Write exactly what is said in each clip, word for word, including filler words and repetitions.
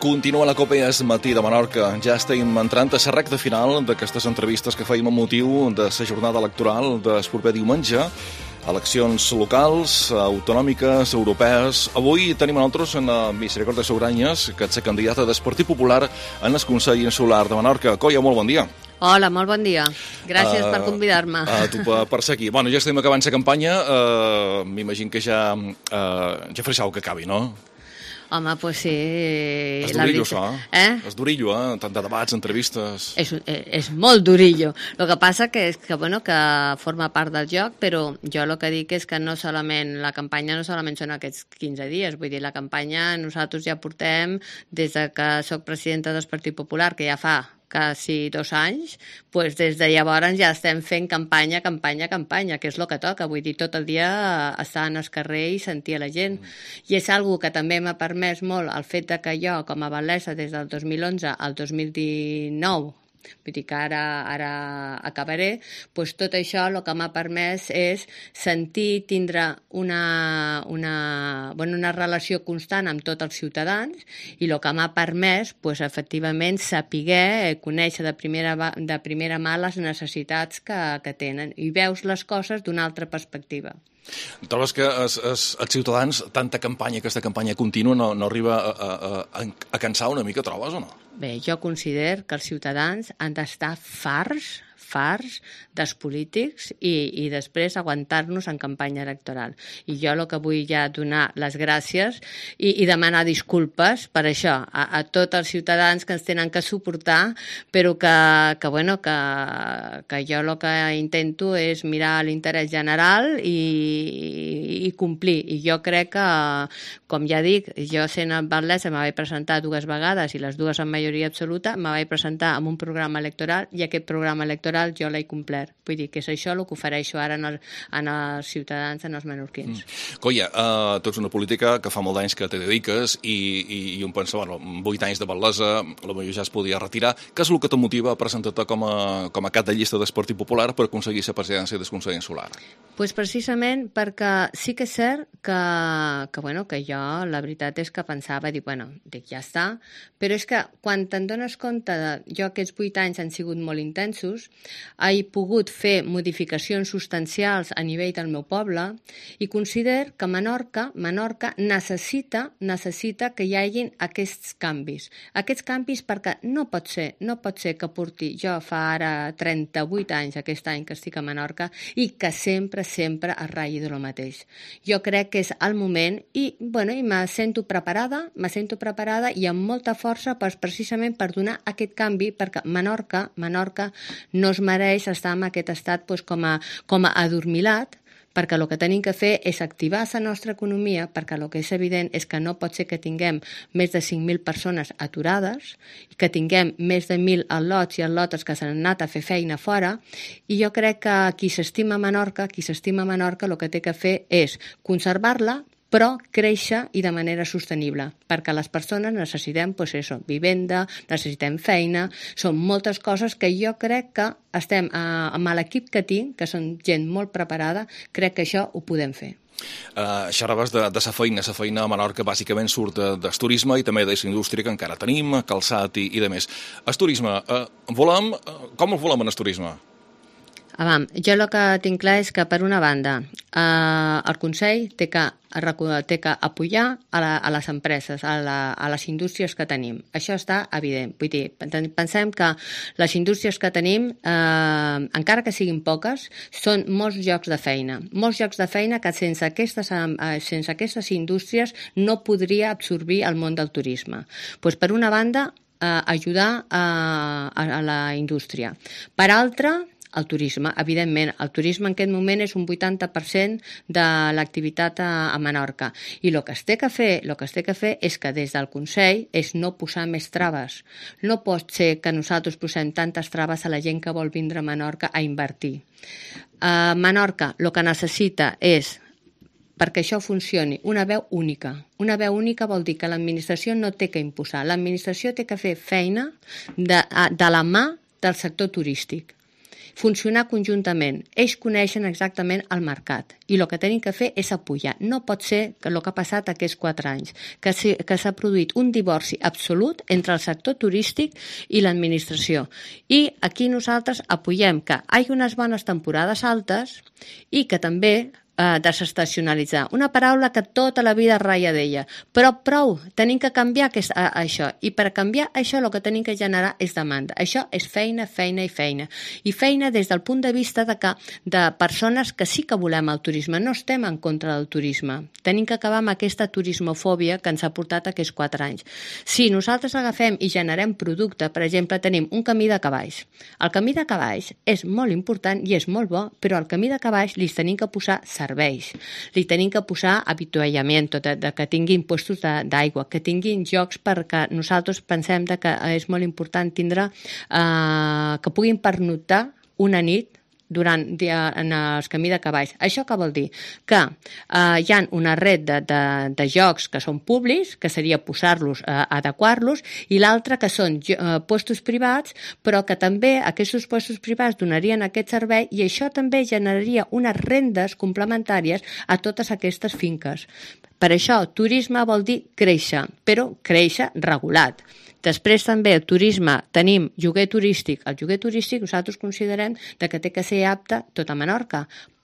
Continua la Copa Es Matí de Menorca. Ja estem entrant a la recta final d'aquestes entrevistes que fèiem amb motiu de la jornada electoral del proper diumenge. Eleccions locals, autonòmiques, europees. Avui tenim a nosaltres en la Misericòrdia Sobranyes, que és la candidata del Partit Popular en el Consell Insular de Menorca. Coia, molt bon dia. Hola, molt bon dia. Gràcies uh, per convidar-me. Uh, tu per, per ser aquí. Bueno, ja estem acabant la campanya. Uh, M'imagino que ja, uh, ja faré que acabi, no? Home, doncs pues sí... És durillo, això, eh? És durillo, eh? Tant de debats, entrevistes... És, és molt durillo. El que passa que és que, bueno, que forma part del joc, però jo el que dic és que no solament, la campanya no solament són aquests quinze dies, vull dir, la campanya nosaltres ja portem des de que soc presidenta del Partit Popular, que ja fa quasi dos anys, doncs des de llavors ja estem fent campanya, campanya, campanya, que és el que toca, vull dir, tot el dia estar en el carrer i sentir a la gent. Mm. I és algo que també m'ha permès molt el fet de que jo, com a batllessa, des del dos mil onze al dos mil dinou, vull dir que ara, ara acabaré, doncs tot això el que m'ha permès és sentir, tindre una, una, bueno, una relació constant amb tots els ciutadans i el que m'ha permès, doncs, efectivament, saber, conèixer de primera, de primera mà les necessitats que, que tenen i veus les coses d'una altra perspectiva. Trobes que els, els, els ciutadans, tanta campanya, aquesta campanya contínua, no, no arriba a, a, a, a cansar una mica, trobes o no? Bé, jo considero que els ciutadans han d'estar farts, farts dels polítics i, i després aguantar-nos en campanya electoral. I jo el que vull ja donar les gràcies i, i demanar disculpes per això a, a tots els ciutadans que ens tenen que suportar, però que, que, bueno, que, que jo el que intento és mirar l'interès general i, i, i complir. I jo crec que, com ja dic, jo sent batllessa me vaig presentar dues vegades i les dues en majoria absoluta, me vaig presentar amb un programa electoral i aquest programa electoral jo l'he complert. Vull dir que és això el que ofereixo ara en, el, en els ciutadans, en els menorquins. Mm. Coia, uh, tu ets una política que fa molt d'anys que te dediques i, i, i un pensa, bueno, vuit anys de batllessa, potser ja es podia retirar. Què és el que te motiva a presentar-te com a, com a cap de llista del Partit Popular per aconseguir la presidència del Consell Insular? Pues precisament perquè sí que és cert que, que, bueno, que jo la veritat és que pensava, dic, bueno, dic, ja està, però és que quan te'n dones compte de jo aquests vuit anys han sigut molt intensos, he pogut fer modificacions substancials a nivell del meu poble i considero que Menorca, Menorca necessita, necessita que hi hagin aquests canvis. Aquests canvis perquè no pot ser, no pot ser que porti, jo fa ara trenta-vuit anys aquest any que estic a Menorca i que sempre, sempre es ratlli de lo mateix. Jo crec que és el moment i, bueno, i me sento preparada, me sento preparada i amb molta força pues, precisament per donar aquest canvi perquè Menorca, Menorca no es mereix estar en aquest estat pues, com, a, com a adormilat, perquè el que tenim que fer és activar la nostra economia, perquè el que és evident és que no pot ser que tinguem més de cinc mil persones aturades, que tinguem més de mil al·lots i al·lotes que s'han anat a fer feina fora, i jo crec que qui s'estima Menorca, qui s'estima Menorca, el que té que fer és conservar-la, però créixer i de manera sostenible, perquè les persones necessitem pues això, vivenda, necessitem feina, són moltes coses que jo crec que estem eh, amb l'equip que tinc, que són gent molt preparada, crec que això ho podem fer. Uh, xerraves de, de sa feina, sa feina a Menorca bàsicament surt de, del turisme i també de la indústria que encara tenim, calçat i, i de més. El turisme, uh, volem, uh, com el volem en el turisme? Avam, jo el que tinc clar és que, per una banda, eh, el Consell té que, té que apoyar a, la, a les empreses, a, la, a les indústries que tenim. Això està evident. Vull dir, pensem que les indústries que tenim, eh, encara que siguin poques, són molts llocs de feina. Molts llocs de feina que sense aquestes, eh, sense aquestes indústries no podria absorbir el món del turisme. Pues, per una banda, eh, ajudar a, a, a la indústria. Per altra, el turisme, evidentment. El turisme en aquest moment és un vuitanta per cent de l'activitat a, a Menorca. I el que es té que fer, el que es té que fer és que des del Consell és no posar més traves. No pot ser que nosaltres posem tantes traves a la gent que vol vindre a Menorca a invertir. A Menorca el que necessita és, perquè això funcioni, una veu única. Una veu única vol dir que l'administració no té que imposar. L'administració té que fer feina de, de la mà del sector turístic. funcionar conjuntament. Ells coneixen exactament el mercat i el que tenim que fer és apoyar. No pot ser que el que ha passat aquests quatre anys, que s'ha produït un divorci absolut entre el sector turístic i l'administració. I aquí nosaltres apoyem que hi hagi unes bones temporades altes i que també eh, desestacionalitzar. Una paraula que tota la vida ratlla d'ella. Però prou, tenim que canviar aquest, a, això. I per canviar això el que tenim que generar és demanda. Això és feina, feina i feina. I feina des del punt de vista de, que, de persones que sí que volem el turisme. No estem en contra del turisme. Tenim que acabar amb aquesta turismofòbia que ens ha portat aquests quatre anys. Si nosaltres agafem i generem producte, per exemple, tenim un camí de cavalls. El camí de cavalls és molt important i és molt bo, però al camí de cavalls li tenim que posar serveis, li tenim que posar avituallament, de, de, que tinguin puestos d'aigua, que tinguin jocs, perquè nosaltres pensem de que és molt important tindre eh, que puguin pernoctar una nit durant en el camí de cavalls. Això què vol dir? Que eh, hi ha una red de, de, de jocs que són públics, que seria posar-los, eh, adequar-los, i l'altre que són eh, puestos privats, però que també aquests puestos privats donarien aquest servei i això també generaria unes rendes complementàries a totes aquestes finques. Per això, turisme vol dir créixer, però créixer regulat. Després també el turisme, tenim lloguer turístic. El lloguer turístic nosaltres considerem que té que ser apte tot a Menorca,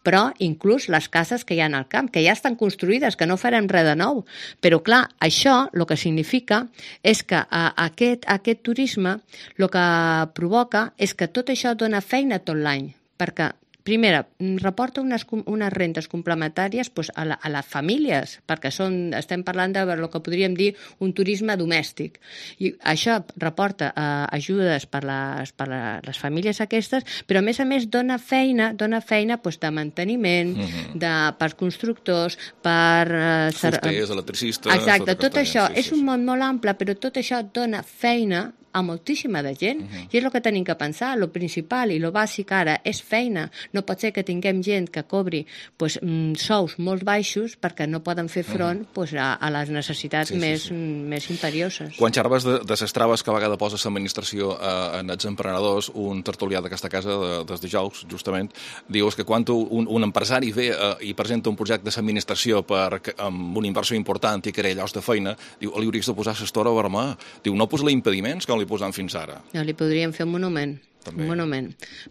però inclús les cases que hi ha al camp, que ja estan construïdes, que no farem res de nou. Però clar, això el que significa és que a, aquest, aquest turisme el que provoca és que tot això dona feina tot l'any, perquè primera, reporta unes, unes rentes complementàries pues, a, la, a les famílies, perquè són, estem parlant de el que podríem dir un turisme domèstic. I això reporta eh, ajudes per, les, per les famílies aquestes, però a més a més dona feina, dona feina pues, de manteniment, mm-hmm. de, per constructors, per... Eh, Fusters, electricistes... Exacte, tot, tot això sí, sí, és un món molt ample, però tot això dona feina a moltíssima de gent, uh-huh. i és el que tenim que pensar, lo principal i lo bàsic ara és feina. No pot ser que tinguem gent que cobri pues, sous molt baixos perquè no poden fer front uh-huh. pues, a, a les necessitats sí, més, sí, sí. més imperioses. Quan xerves de, de les traves que a vegades posa l'administració eh, en els emprenedors, un tertulià d'aquesta casa de, des de Jous, justament, dius que quan un, un empresari ve eh, i presenta un projecte de l'administració per, amb una inversió important i crea llocs de feina, diu, li hauries de posar l'estora vermà. Diu, no posa impediments com li posant fins ara. No, li podríem fer un monument. També. Un monument,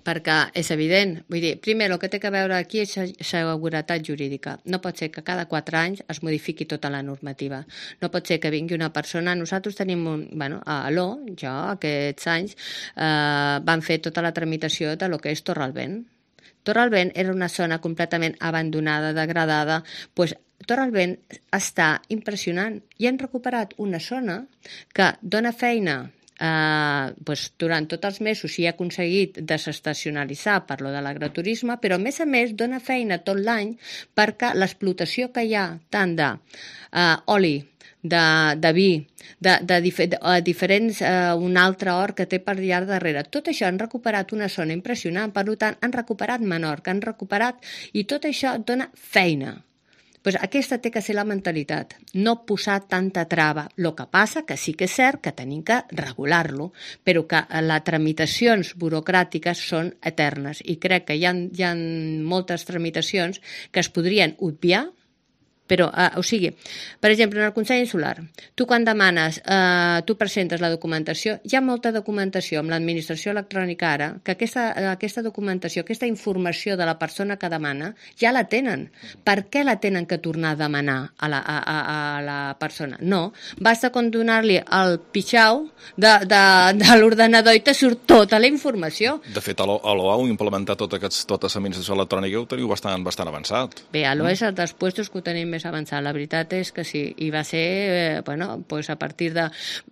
perquè és evident, vull dir, primer el que té que veure aquí és seguretat jurídica. No pot ser que cada quatre anys es modifiqui tota la normativa. No pot ser que vingui una persona... Nosaltres tenim un... Bueno, a l'O, jo, aquests anys, eh, van fer tota la tramitació de lo que és Torralbent. Torralbent era una zona completament abandonada, degradada, doncs Torralbent està impressionant i han recuperat una zona que dona feina Uh, doncs, durant tots els mesos s'hi ha aconseguit desestacionalitzar per lo de l'agroturisme, però a més a més dona feina tot l'any perquè l'explotació que hi ha tant d'oli, uh, de, de vi, de, de, dif de, de diferents, uh, un altre hort que té per allà darrere. Tot això han recuperat una zona impressionant, per tant han recuperat Menorca, han recuperat, i tot això dona feina. Pues aquesta té que ser la mentalitat, no posar tanta trava. El que passa que sí que és cert que tenim que regular-lo, però que les tramitacions burocràtiques són eternes i crec que hi ha, hi ha moltes tramitacions que es podrien obviar. Però, eh, o sigui, per exemple, en el Consell Insular, tu quan demanes, eh, tu presentes la documentació, hi ha molta documentació amb l'administració electrònica ara, que aquesta, aquesta documentació, aquesta informació de la persona que demana, ja la tenen. Per què la tenen que tornar a demanar a la, a, a, a la persona? No, basta con donar-li el pitxau de, de, de l'ordenador i te surt tota la informació. De fet, a l'O A heu implementat tota l'administració electrònica i ho teniu bastant, bastant avançat. Bé, a l'O A és els dels puestos que ho tenim més avançat. La veritat és que sí, i va ser, eh, bueno, pues a partir de...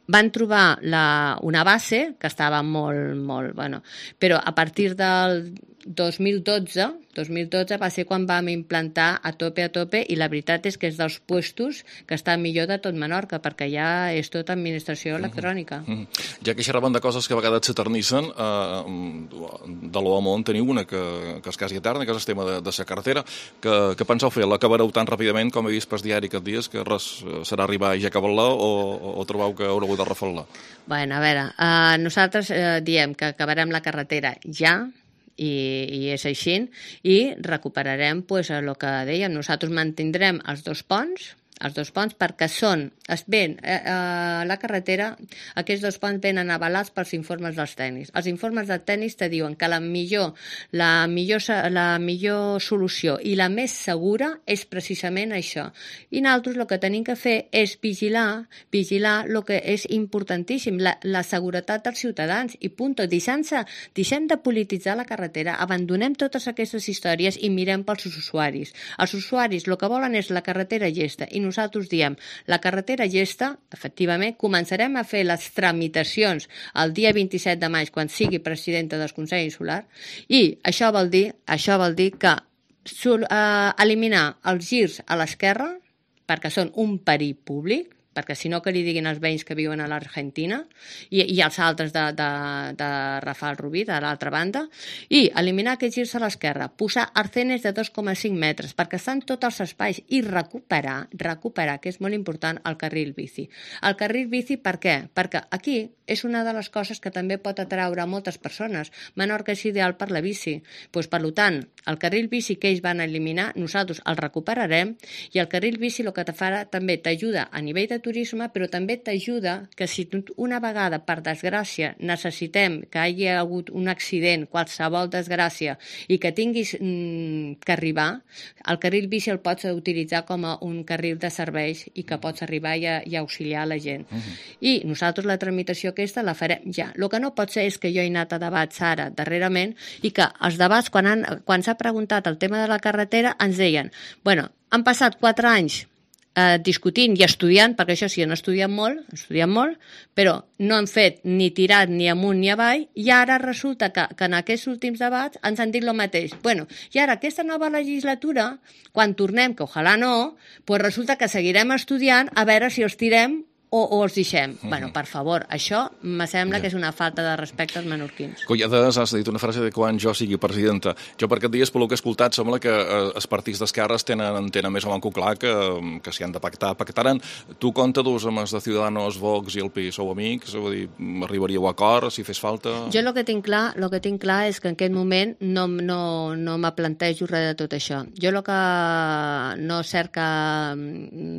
Van trobar la, una base que estava molt, molt, bueno, però a partir del dos mil dotze, dos mil dotze va ser quan vam implantar a tope a tope i la veritat és que és dels puestos que està millor de tot Menorca perquè ja és tota administració electrònica. Mm -hmm. Ja que xerraven de coses que a vegades s'eternissen, eh, de l'O A Món teniu una que, que és quasi eterna, que és el tema de, de la carretera. Que, que penseu fer? L'acabareu tan ràpidament com he vist per diari aquests dies que res serà arribar i ja acabar-la o, o trobeu que haureu de refar-la? Bueno, a veure, eh, nosaltres eh, diem que acabarem la carretera ja, i, i és així, i recuperarem pues, el que dèiem, nosaltres mantindrem els dos ponts, els dos ponts perquè són, es ven, eh, eh, la carretera, aquests dos ponts venen avalats pels informes dels tècnics. Els informes dels tècnics te diuen que la millor, la millor, la millor solució i la més segura és precisament això. I nosaltres el que tenim que fer és vigilar, vigilar el que és importantíssim, la, la seguretat dels ciutadans i punt. Deixem-se, deixem de polititzar la carretera, abandonem totes aquestes històries i mirem pels usuaris. Els usuaris el que volen és la carretera llesta i nosaltres diem, la carretera llesta, efectivament, començarem a fer les tramitacions el dia vint-i-set de maig, quan sigui presidenta del Consell Insular, i això vol dir, això vol dir que uh, eliminar els girs a l'esquerra, perquè són un perill públic, perquè si no que li diguin als veïns que viuen a l'Argentina i, i els altres de, de, de Rafal Rubí, de l'altra banda, i eliminar aquests girs a l'esquerra, posar arcenes de dos coma cinc metres perquè estan tots els espais i recuperar, recuperar, que és molt important, el carril bici. El carril bici per què? Perquè aquí és una de les coses que també pot atraure a moltes persones. Menorca és ideal per la bici. Pues, per tant, el carril bici que ells van eliminar, nosaltres el recuperarem i el carril bici el que te farà també t'ajuda a nivell de turisme, però també t'ajuda que si una vegada, per desgràcia, necessitem que hi hagi hagut un accident, qualsevol desgràcia, i que tinguis mm, que arribar, el carril bici el pots utilitzar com a un carril de serveis i que pots arribar i, a, i auxiliar la gent. Uh-huh. I nosaltres la tramitació aquesta la farem ja. El que no pot ser és que jo he anat a debats ara, darrerament, i que els debats, quan, han, quan s'ha preguntat el tema de la carretera, ens deien, bueno, han passat quatre anys eh, discutint i estudiant, perquè això sí, han estudiat molt, han estudiat molt, però no han fet ni tirat ni amunt ni avall, i ara resulta que, que en aquests últims debats ens han dit el mateix. Bueno, i ara aquesta nova legislatura, quan tornem, que ojalà no, pues resulta que seguirem estudiant a veure si els tirem o, o els deixem. Uh-huh. Bueno, per favor, això me sembla yeah. que és una falta de respecte als menorquins. Collades, has dit una frase de quan jo sigui presidenta. Jo per aquest dies, pel que he escoltat, sembla que eh, els partits d'esquerres tenen, tenen més o menys clar que, que si han de pactar, pactaran. Tu compta dus amb els de Ciudadanos, Vox i el P I sou amics? Vull dir, arribaríeu a acord si fes falta? Jo el que tinc clar, el que tinc clar és que en aquest moment no, no, no me plantejo res de tot això. Jo el que no cerca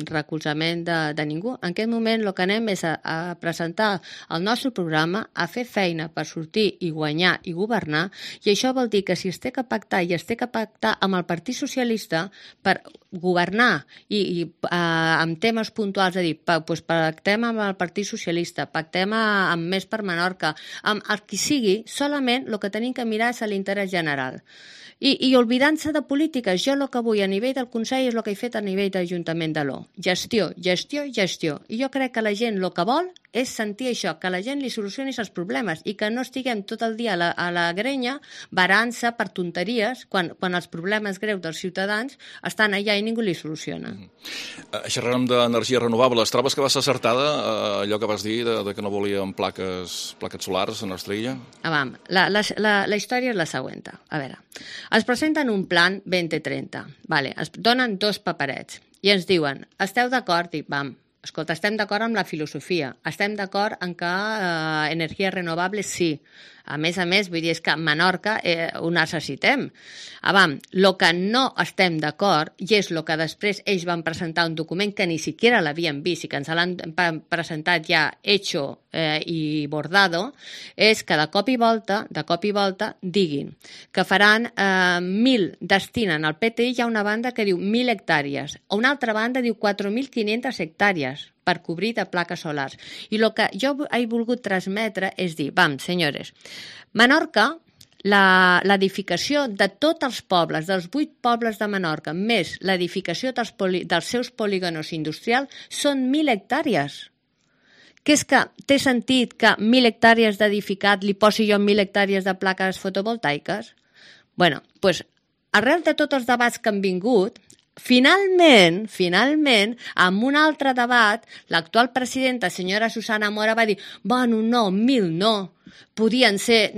recolzament de, de ningú. En aquest moment el que anem és a, a presentar el nostre programa, a fer feina per sortir i guanyar i governar, i això vol dir que si es té que pactar i es té que pactar amb el Partit Socialista per governar i, i uh, amb temes puntuals, és a dir, pa, pues, pactem amb el Partit Socialista, pactem amb Més per Menorca, amb el qui sigui, solament el que tenim que mirar és l'interès general. I, i oblidant-se de polítiques, jo el que vull a nivell del Consell és el que he fet a nivell d'Ajuntament de l'O. Gestió, gestió, gestió. I jo crec que la gent el que vol és sentir això, que la gent li solucioni els problemes i que no estiguem tot el dia a la, a la grenya varant-se per tonteries quan, quan els problemes greus dels ciutadans estan allà i ningú li soluciona. Mm-hmm. Uh, xerrarem d'energies renovables. Trobes que va ser acertada uh, allò que vas dir de, de que no volíem plaques, plaques solars a nostra illa? Ah, vam. La, la, la, la història és la següent. A veure, ens presenten un plan vint trenta. Vale, ens donen dos paperets i ens diuen, esteu d'acord? I vam, escolta, estem d'acord amb la filosofia, estem d'acord en que eh, energies renovables sí. A més a més, vull dir, és que a Menorca eh, ho necessitem. Avam, el que no estem d'acord, i és el que després ells van presentar un document que ni siquiera l'havien vist i que ens l'han presentat ja hecho eh, i bordado, és que de cop i volta, de cop i volta, diguin que faran eh, mil, destinen al P T I, hi ha una banda que diu mil hectàrees, a una altra banda diu quatre mil quinientas hectàrees per cobrir de plaques solars. I el que jo he volgut transmetre és dir, vam, senyores, Menorca, l'edificació de tots els pobles, dels vuit pobles de Menorca, més l'edificació dels, poli, dels seus polígonos industrials, són mil hectàrees. Que és que té sentit que mil hectàrees d'edificat li posi jo mil hectàrees de plaques fotovoltaiques? Bueno, doncs, arrel de tots els debats que han vingut, Finalment, finalment, amb un altre debat, l'actual presidenta, senyora Susana Mora, va dir, bueno, no, mil no, podien ser,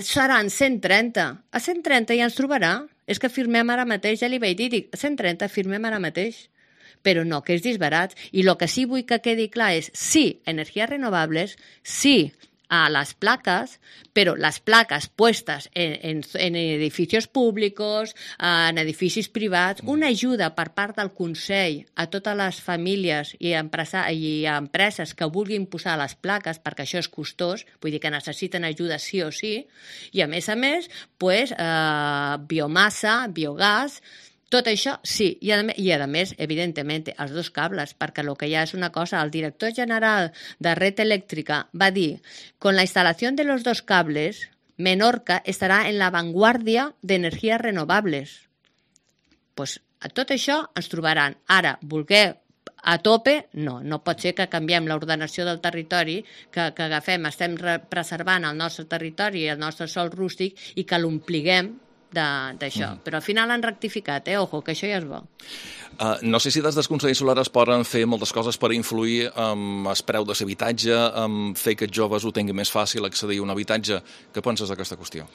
seran cent trenta. A cent trenta ja ens trobarà. És que firmem ara mateix, ja li vaig dir, dic, a cent trenta firmem ara mateix. Però no, que és disbarat. I el que sí vull que quedi clar és, sí, energies renovables, sí, a las placas, pero las placas puestas en, en, en edificios públics, en edificis privats, una ajuda per part del Consell a totes les famílies i, empresa, i a empreses que vulguin posar les plaques, perquè això és costós, vull dir que necessiten ajuda sí o sí, i a més a més, pues, eh, biomassa, biogàs, tot això, sí, i a, i a més, evidentment, els dos cables, perquè el que hi ha és una cosa, el director general de Red Eléctrica va dir, con la instalación de los dos cables, Menorca estarà en la vanguardia d'energies renovables. Pues a tot això ens trobaran. Ara, voler a tope, no, no pot ser que canviem l'ordenació del territori, que, que agafem, estem preservant el nostre territori i el nostre sòl rústic i que l'ompliguem d'això, mm. però al final han rectificat, eh? Ojo, que això ja és bo. Uh, no sé si des del Consell Solar es poden fer moltes coses per influir en el preu de l'habitatge, en fer que els joves ho tinguin més fàcil accedir a un habitatge. Què penses d'aquesta qüestió?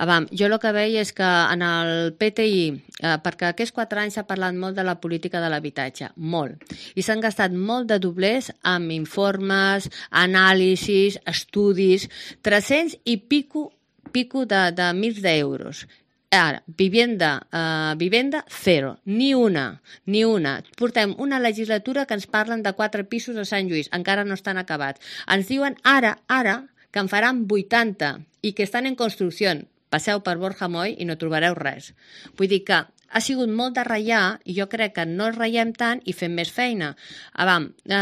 Avam, jo el que veig és que en el P T I, eh, perquè aquests quatre anys s'ha parlat molt de la política de l'habitatge, molt, i s'han gastat molt de doblers amb informes, anàlisis, estudis, tres-cents i pico, pico de, de mils d'euros. Ara, vivenda, uh, vivenda, zero. Ni una, ni una. Portem una legislatura que ens parlen de quatre pisos a Sant Lluís, encara no estan acabats. Ens diuen ara, ara, que en faran vuitanta i que estan en construcció. Passeu per Borja Moll i no trobareu res. Vull dir que ha sigut molt de ratllar i jo crec que no ratllem tant i fem més feina. Avam, eh,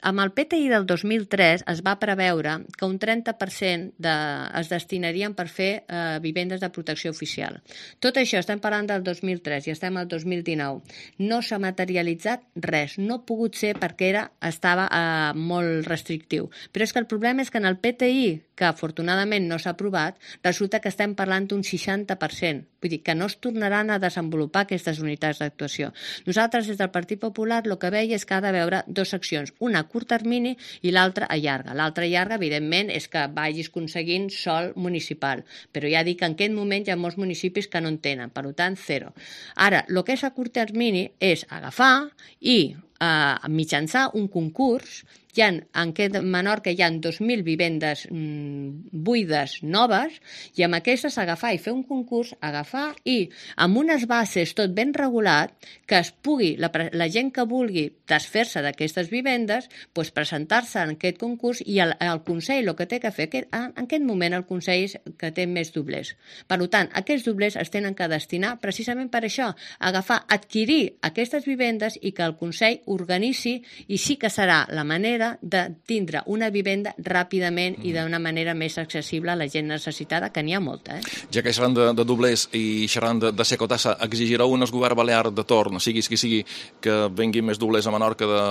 amb el P T I del dos mil tres es va preveure que un trenta per cent de, es destinarien per fer eh, vivendes de protecció oficial. Tot això estem parlant del dos mil tres i estem al dos mil dinou. No s'ha materialitzat res, no ha pogut ser perquè era, estava eh, molt restrictiu. Però és que el problema és que en el P T I, que afortunadament no s'ha aprovat, resulta que estem parlant d'un seixanta per cent. Vull dir que no es tornaran a desenvolupar aquestes unitats d'actuació. Nosaltres, des del Partit Popular, el que veia és que ha de veure dues seccions, una a curt termini i l'altra a llarga. L'altra a llarga, evidentment, és que vagis aconseguint sòl municipal, però ja dic que en aquest moment hi ha molts municipis que no en tenen, per tant, zero. Ara, el que és a curt termini és agafar i eh, mitjançar un concurs. Hi ha, en aquest Menorca hi ha dos mil vivendes mm, buides noves i amb aquestes agafar i fer un concurs, agafar i amb unes bases tot ben regulat que es pugui, la, la gent que vulgui desfer-se d'aquestes vivendes, pues, presentar-se en aquest concurs i el, el Consell el que té que fer, que, en aquest moment el Consell és que té més doblers. Per tant, aquests doblers es tenen que destinar precisament per això, agafar, adquirir aquestes vivendes i que el Consell organitzi i sí que serà la manera de tindre una vivenda ràpidament i d'una manera més accessible a la gent necessitada, que n'hi ha molta. Eh? Ja que xerran de, de doblers i xerran de, de secotassa, exigireu un govern balear de torn, siguis qui sigui, que venguin més doblers a Menorca de,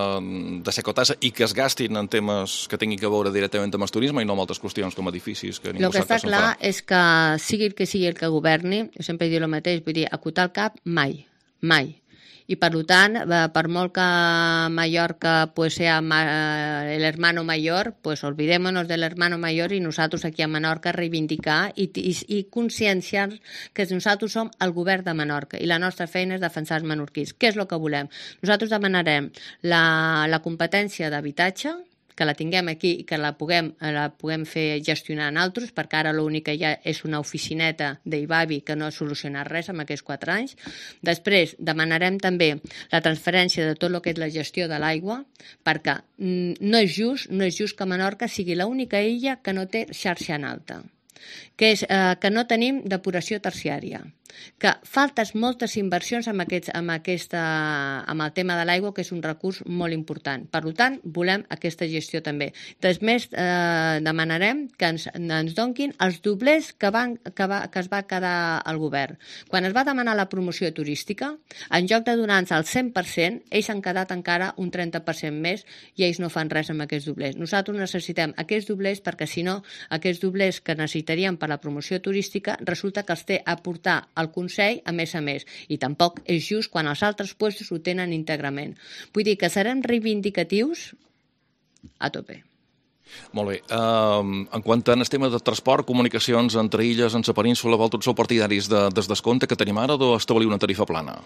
de secotassa i que es gastin en temes que tinguin que veure directament amb el turisme i no amb altres qüestions com edificis que ningú sap que està clar farà. És que sigui el que sigui el que governi, jo sempre dic el mateix, vull dir, acotar el cap mai, mai. I per tant, per molt que Mallorca pues, sea el hermano mayor, pues olvidémonos del hermano mayor i nosaltres aquí a Menorca reivindicar i, i, i conscienciar que nosaltres som el govern de Menorca i la nostra feina és defensar els menorquins. Què és el que volem? Nosaltres demanarem la, la competència d'habitatge, que la tinguem aquí i que la puguem, la puguem fer gestionar en altres, perquè ara l'únic que hi ha és una oficineta d'Ivavi que no ha solucionat res en aquests quatre anys. Després demanarem també la transferència de tot el que és la gestió de l'aigua, perquè no és just, no és just que Menorca sigui l'única illa que no té xarxa en alta, que és eh, que no tenim depuració terciària, que faltes moltes inversions amb, aquests, amb, aquesta, amb el tema de l'aigua, que és un recurs molt important. Per tant, volem aquesta gestió també. Després eh, demanarem que ens, ens donquin els doblers que, van, que, va, que es va quedar al govern. Quan es va demanar la promoció turística, en lloc de donar-nos el cent per cent, ells han quedat encara un trenta per cent més i ells no fan res amb aquests doblers. Nosaltres necessitem aquests doblers perquè, si no, aquests doblers que necessitaríem per la promoció turística resulta que els té a portar al Consell a més a més, i tampoc és just quan els altres puestos ho tenen íntegrament. Vull dir que serem reivindicatius a tope. Molt bé. Uh, en quant a el tema de transport, comunicacions entre illes, en la península, vosaltres sou partidaris de, des descompte que tenim ara o establir una tarifa plana?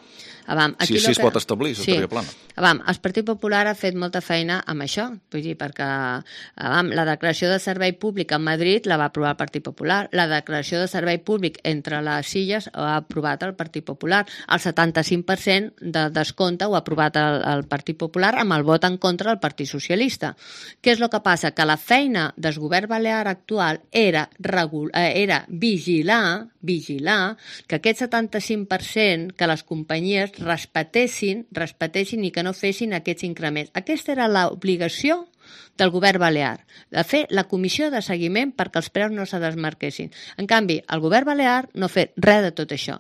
Avam, aquí si, si es que... pot establir, la sí. tarifa plana. Avam, el Partit Popular ha fet molta feina amb això, vull dir, perquè avam, la declaració de servei públic a Madrid la va aprovar el Partit Popular, la declaració de servei públic entre les illes ho ha aprovat el Partit Popular, el setanta-cinc per cent de descompte ho ha aprovat el, el Partit Popular amb el vot en contra del Partit Socialista. Què és el que passa? Que la feina del govern balear actual era, regul... era vigilar, vigilar que aquest setanta-cinc per cent que les companyies respetessin, respetessin i que no fessin aquests increments. Aquesta era l'obligació del govern balear, de fer la comissió de seguiment perquè els preus no se desmarquessin. En canvi, el govern balear no ha fet res de tot això.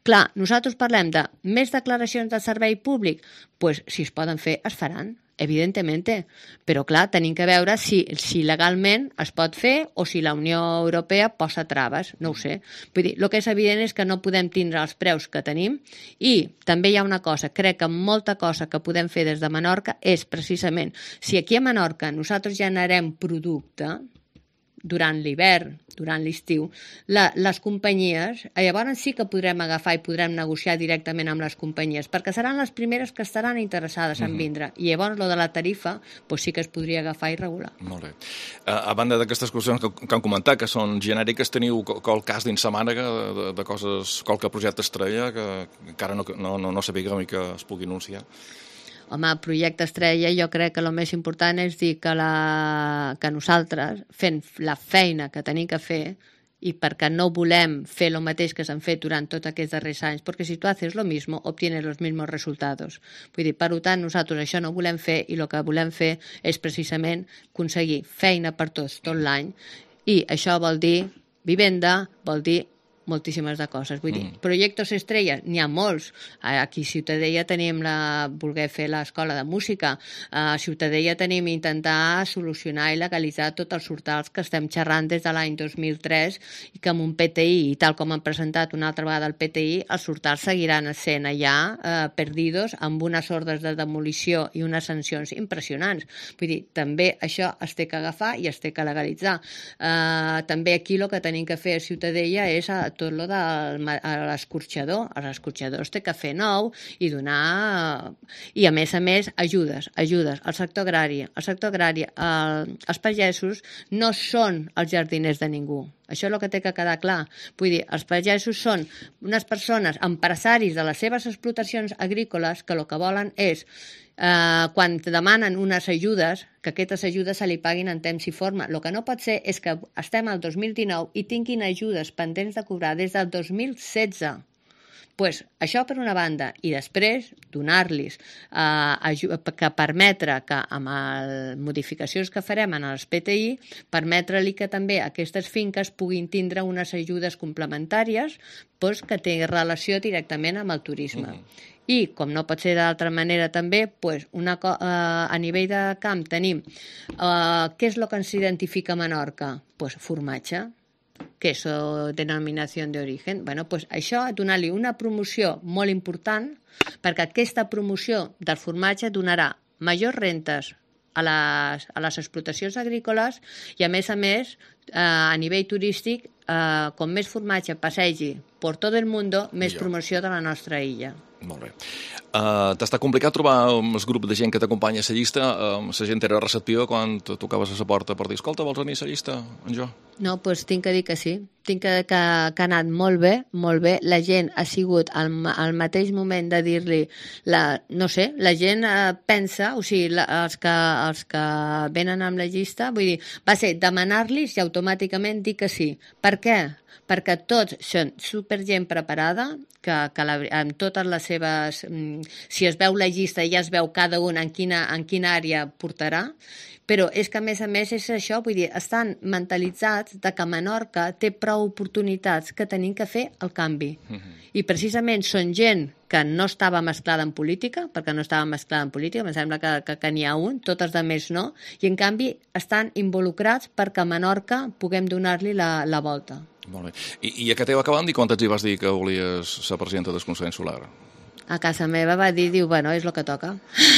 Clar, nosaltres parlem de més declaracions de servei públic, doncs si es poden fer, es faran, evidentment, però clar, tenim que veure si, si legalment es pot fer o si la Unió Europea posa traves, no ho sé. Vull dir, el que és evident és que no podem tindre els preus que tenim i també hi ha una cosa, crec que molta cosa que podem fer des de Menorca és precisament, si aquí a Menorca nosaltres generem producte durant l'hivern, durant l'estiu, la, les companyies, llavors sí que podrem agafar i podrem negociar directament amb les companyies, perquè seran les primeres que estaran interessades en vindre, i llavors lo de la tarifa doncs sí que es podria agafar i regular. Molt bé. A, a banda d'aquestes qüestions que, que han comentat, que són genèriques, teniu qual cas dins la mànega de, de coses, qualque projecte estrella que encara no, no, no, no sapiguem i que es pugui anunciar? Home, el projecte estrella jo crec que el més important és dir que, la, que nosaltres, fent la feina que tenim que fer, i perquè no volem fer el mateix que s'han fet durant tots aquests darrers anys, perquè si tu haces lo mismo, obtienes los mismos resultados. Vull dir, per tant, nosaltres això no volem fer i el que volem fer és precisament aconseguir feina per tots tot l'any i això vol dir vivenda, vol dir moltíssimes de coses. Vull dir, mm. projectes estrelles, n'hi ha molts. Aquí a Ciutadella tenim la, voler fer l'escola de música. A Ciutadella tenim intentar solucionar i legalitzar tots els hortals que estem xerrant des de l'any dos mil tres i que amb un P T I, i tal com han presentat una altra vegada el P T I, els hortals seguiran sent allà eh, perdidos amb unes ordres de demolició i unes sancions impressionants. Vull dir, també això es té que agafar i es té que legalitzar. Eh, també aquí el que tenim que fer a Ciutadella és a tot lo de l'escorxador. Els escorxadors té que fer nou i donar... I, a més a més, ajudes, ajudes al sector agrari. El sector agrari, el, els pagesos no són els jardiners de ningú. Això és el que té que quedar clar. Vull dir, els pagesos són unes persones, empresaris de les seves explotacions agrícoles que el que volen és Uh, quan demanen unes ajudes, que aquestes ajudes se li paguin en temps i forma. El que no pot ser és que estem al dos mil dinou i tinguin ajudes pendents de cobrar des del dos mil setze. Pues, això per una banda, i després donar-los uh, que permetre que amb les modificacions que farem en els P T I, permetre-li que també aquestes finques puguin tindre unes ajudes complementàries pues, que tenen relació directament amb el turisme. Mm-hmm. I, com no pot ser d'altra manera també, pues una, uh, a nivell de camp tenim uh, què és el que ens identifica a Menorca? Pues formatge, queso, denominació d'origen. Bueno, pues això, donar-li una promoció molt important, perquè aquesta promoció del formatge donarà majors rentes a les, a les explotacions agrícoles i, a més a més, eh, a nivell turístic, eh, com més formatge passegi per tot el món, més promoció de la nostra illa. Molt bé. Uh, T'està complicat trobar el grup de gent que t'acompanya a la llista? Uh, la gent era receptiva quan tocaves a la porta per dir, escolta, vols venir a la llista, en jo? No, doncs pues, tinc que dir que sí. Tinc que, que, que ha anat molt bé, molt bé. La gent ha sigut al, al mateix moment de dir-li, la, no sé, la gent eh, pensa, o sigui, la, els, que, els que venen amb la llista, vull dir, va ser demanar-los i automàticament dir que sí. Per què? Perquè tots són supergent preparada, que, que la, amb totes les seves... Si es veu la llista ja es veu cada un en quina, en quina àrea portarà, però és que, a més a més, és això, vull dir, estan mentalitzats de que Menorca té prou oportunitats que tenim que fer el canvi. Uh-huh. I precisament són gent que no estava mesclada en política, perquè no estava mesclada en política, em sembla que, que, que n'hi ha un, totes de més no, i en canvi estan involucrats perquè a Menorca puguem donar-li la, la volta. Molt bé. I, i a què t'heu acabant i quan t'hi vas dir que volies ser presidenta del Consell Insular? A casa meva va dir, diu, bueno, és el que toca.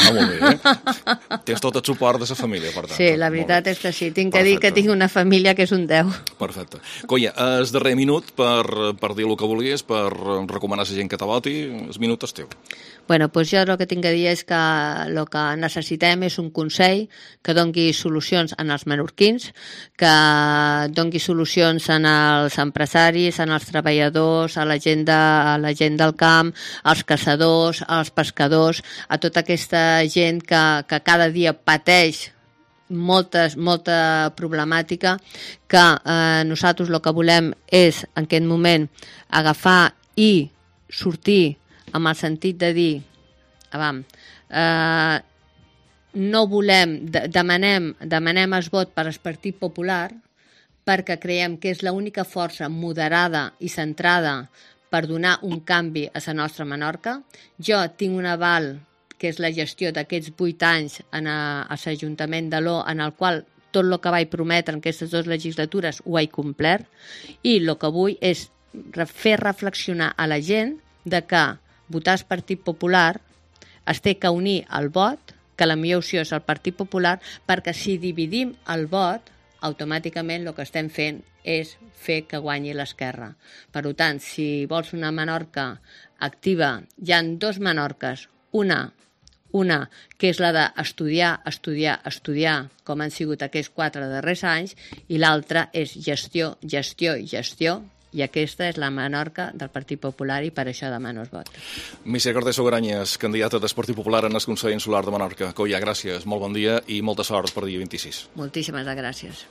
Ah, molt bé. Tens tot el suport de la família, per tant. Sí, la veritat és que sí. Tinc que dir que tinc una família que és un deu. Perfecte. Colla, el darrer minut per, per dir el que volies, per recomanar a la gent que te voti, el minut és teu. Bueno, doncs jo el que tinc que dir és que el que necessitem és un consell que dongui solucions en els menorquins, que dongui solucions en els empresaris, en els treballadors, a la gent, de, a la gent del camp, als caçadors, als pescadors, a tota aquesta gent que, que cada dia pateix moltes, molta problemàtica, que eh, nosaltres el que volem és en aquest moment agafar i sortir amb el sentit de dir, avam, eh, no volem, de, demanem, demanem el vot per al Partit Popular perquè creiem que és l'única força moderada i centrada per donar un canvi a la nostra Menorca. Jo tinc un aval, que és la gestió d'aquests vuit anys en a, a l'Ajuntament de l'O, en el qual tot el que vaig prometre en aquestes dues legislatures ho he complert, i el que vull és fer reflexionar a la gent de que votar el Partit Popular es té que unir al vot, que la millor opció és el Partit Popular, perquè si dividim el vot, automàticament el que estem fent és fer que guanyi l'esquerra. Per tant, si vols una Menorca activa, hi ha dos Menorques, una, una que és la d'estudiar, estudiar, estudiar, com han sigut aquests quatre darrers anys, i l'altra és gestió, gestió i gestió, i aquesta és la Menorca del Partit Popular i per això demano el vot. Mísia Cortés Sogaranyes, candidata del Partit Popular en el Consell Insular de Menorca. Colla, gràcies, molt bon dia i molta sort per dia vint-i-sis. Moltíssimes gràcies.